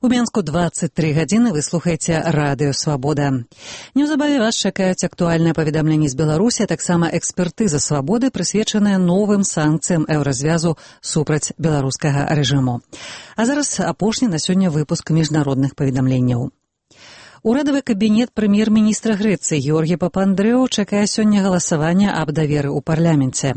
У Менску 23 гадзіны вы слухаеце радыё «Свабода». Неўзабаве вас чакаюць актуальныя паведамленні з Беларусі, а таксама экспертыза «Свабоды», прысвечаная новым санкцыям еўразвязу супраць беларускага рэжыму. А зараз апошні на сёння выпуск міжнародных паведамленняў. Урадавы кабінет прэм'ер-міністра Грэцыі Георгі Папандрэу чакае сёння галасавання аб даверы ў парламенце.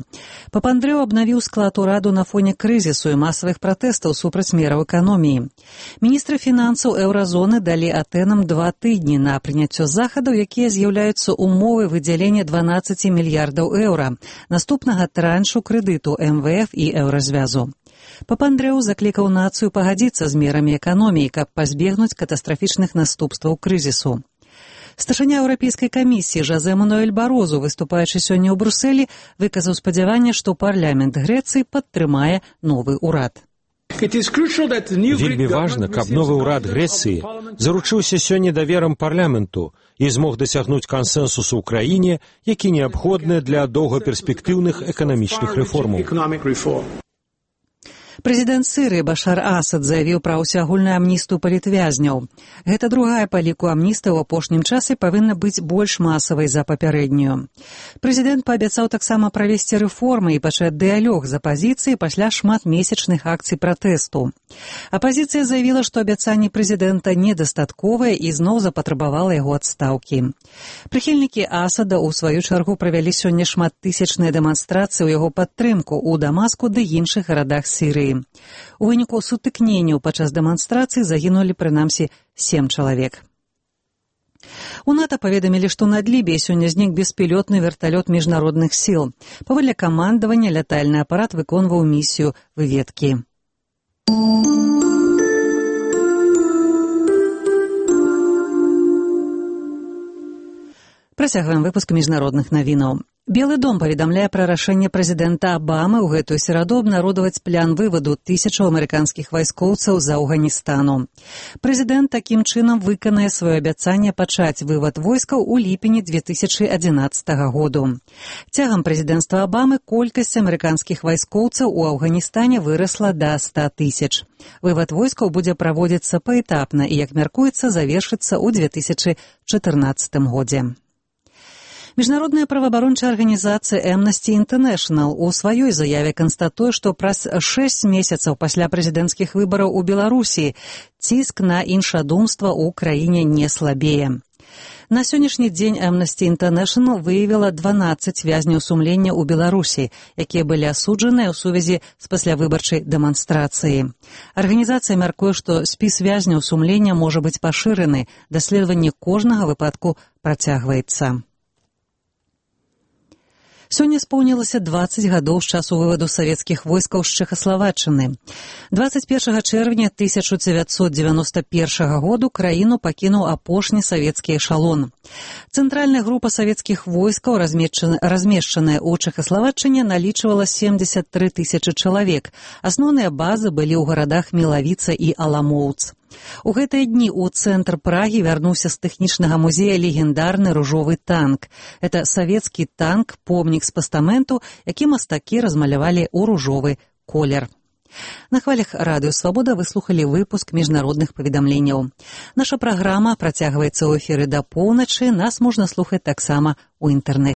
Папандрэу абнавіў склад ураду на фоне крызісу і масавых пратэстаў супраць мераў эканоміі. Міністры фінансаў еўразоны далі Атэнам 2 тыдні на прыняццё захадаў, якія з'яўляюцца умовай выдзялення 12 мільярдаў еўра, наступнага траншу крэдыту МВФ і еўразвязу. Папандрэу заклікаў нацыю пагадзіцца з мерамі эканоміі, каб пазбегнуць катастрафічных наступстваў крызісу. Старшыня Еўрапейскай камісіі Жозе Мануэль Барозу, выступаючы сёння ў Брусэлі, выказаў спадзяванне, што парламент Грэцыі падтрымае новы ўрад. Вельмі важна, каб новы ўрад Грэцыі заручыўся сёння даверам парламенту і змог дасягнуць кансэнсусу ў краіне, які неабходны для доўгаперспектыўных эканамічных рэформаў. Прэзідэнт Сірыі Башар Асад заявіў пра ўсеагульную амністыю палітвязняў. Гэта другая па ліку амністыя ў апошнім часе павінна быць больш масавай за папярэднюю. Прэзідэнт паабяцаў таксама правесці рэформы і пачаць дыялог з апазіцыяй пасля шматмесячных акцый пратэсту. Апазіцыя заявіла, што абяцанні прэзідэнта недастатковыя і зноў запатрабавала яго адстаўкі. Прыхільнікі Асада ў сваю чаргу правялі сёння шматтысячныя дэманстрацыі ў яго падтрымку ў Дамаску ды іншых гарадах Сірыі. У выніку сутыкненняў падчас дэманстрацыі загінулі прынамсі 7 чалавек. У НАТО паведамілі, што над Лібіяй сёння знік беспілотны верталёт міжнародных сіл. Паводле камандавання лятальны апарат выконваў місію выведкі. Працягваем выпуск міжнародных навінаў. Белы дом паведамляе пра рашэнне прэзідэнта Абамы ў гэтую сераду абнародаваць план вываду 1000 амерыканскіх вайскоўцаў з Афганістану. Прэзідэнт такім чынам выканае сваё абяцанне пачаць вывад войскаў у ліпені 2011 году. Цягам прэзідэнцтва Абамы колькасць амерыканскіх вайскоўцаў у Афганістане вырасла да 100 000. Вывад войскаў будзе праводзіцца паэтапна і, як мяркуецца, завершыцца ў 2014 годзе. Міжнародная праваабарончая арганізацыя Amnesty International у сваёй заяве канстатуе, што праз 6 месяцаў пасля прэзідэнцкіх выбараў у Беларусі ціск на іншадумства ў краіне не слабее. На сённяшні дзень Amnesty International выявіла 12 вязняў сумлення ў Беларусі, якія былі асуджаныя ў сувязі з паслявыбарчай дэманстрацыяй. Арганізацыя мяркуе, што спіс вязняў сумлення можа быць пашыраны, даследаванне кожнага выпадку працягваецца. Сёння споўнілася 20 гадоў з часу вываду савецкіх войскаў з Чэхаславаччыны. 21 чэрвеня 1991 году краіну пакінуў апошні савецкі эшалон. Цэнтральная група савецкіх войскаў, размешчаная ў Чэхаславаччыне, налічвала 73 000 чалавек. Асноўныя базы былі ў гарадах Мелавіца і Аламоўц. У гэтыя дні ў цэнтр Прагі вярнуўся з тэхнічнага музея легендарны ружовы танк. Это савецкі танк, помнік з пастаменту, які мастакі размалявалі ў ружовы колер. На хвалях радыё «Свабода» вы слухалі выпуск міжнародных паведамленняў. Наша праграма працягваецца ў эфіры да поўначы, нас можна слухаць таксама ў інтэрнэце.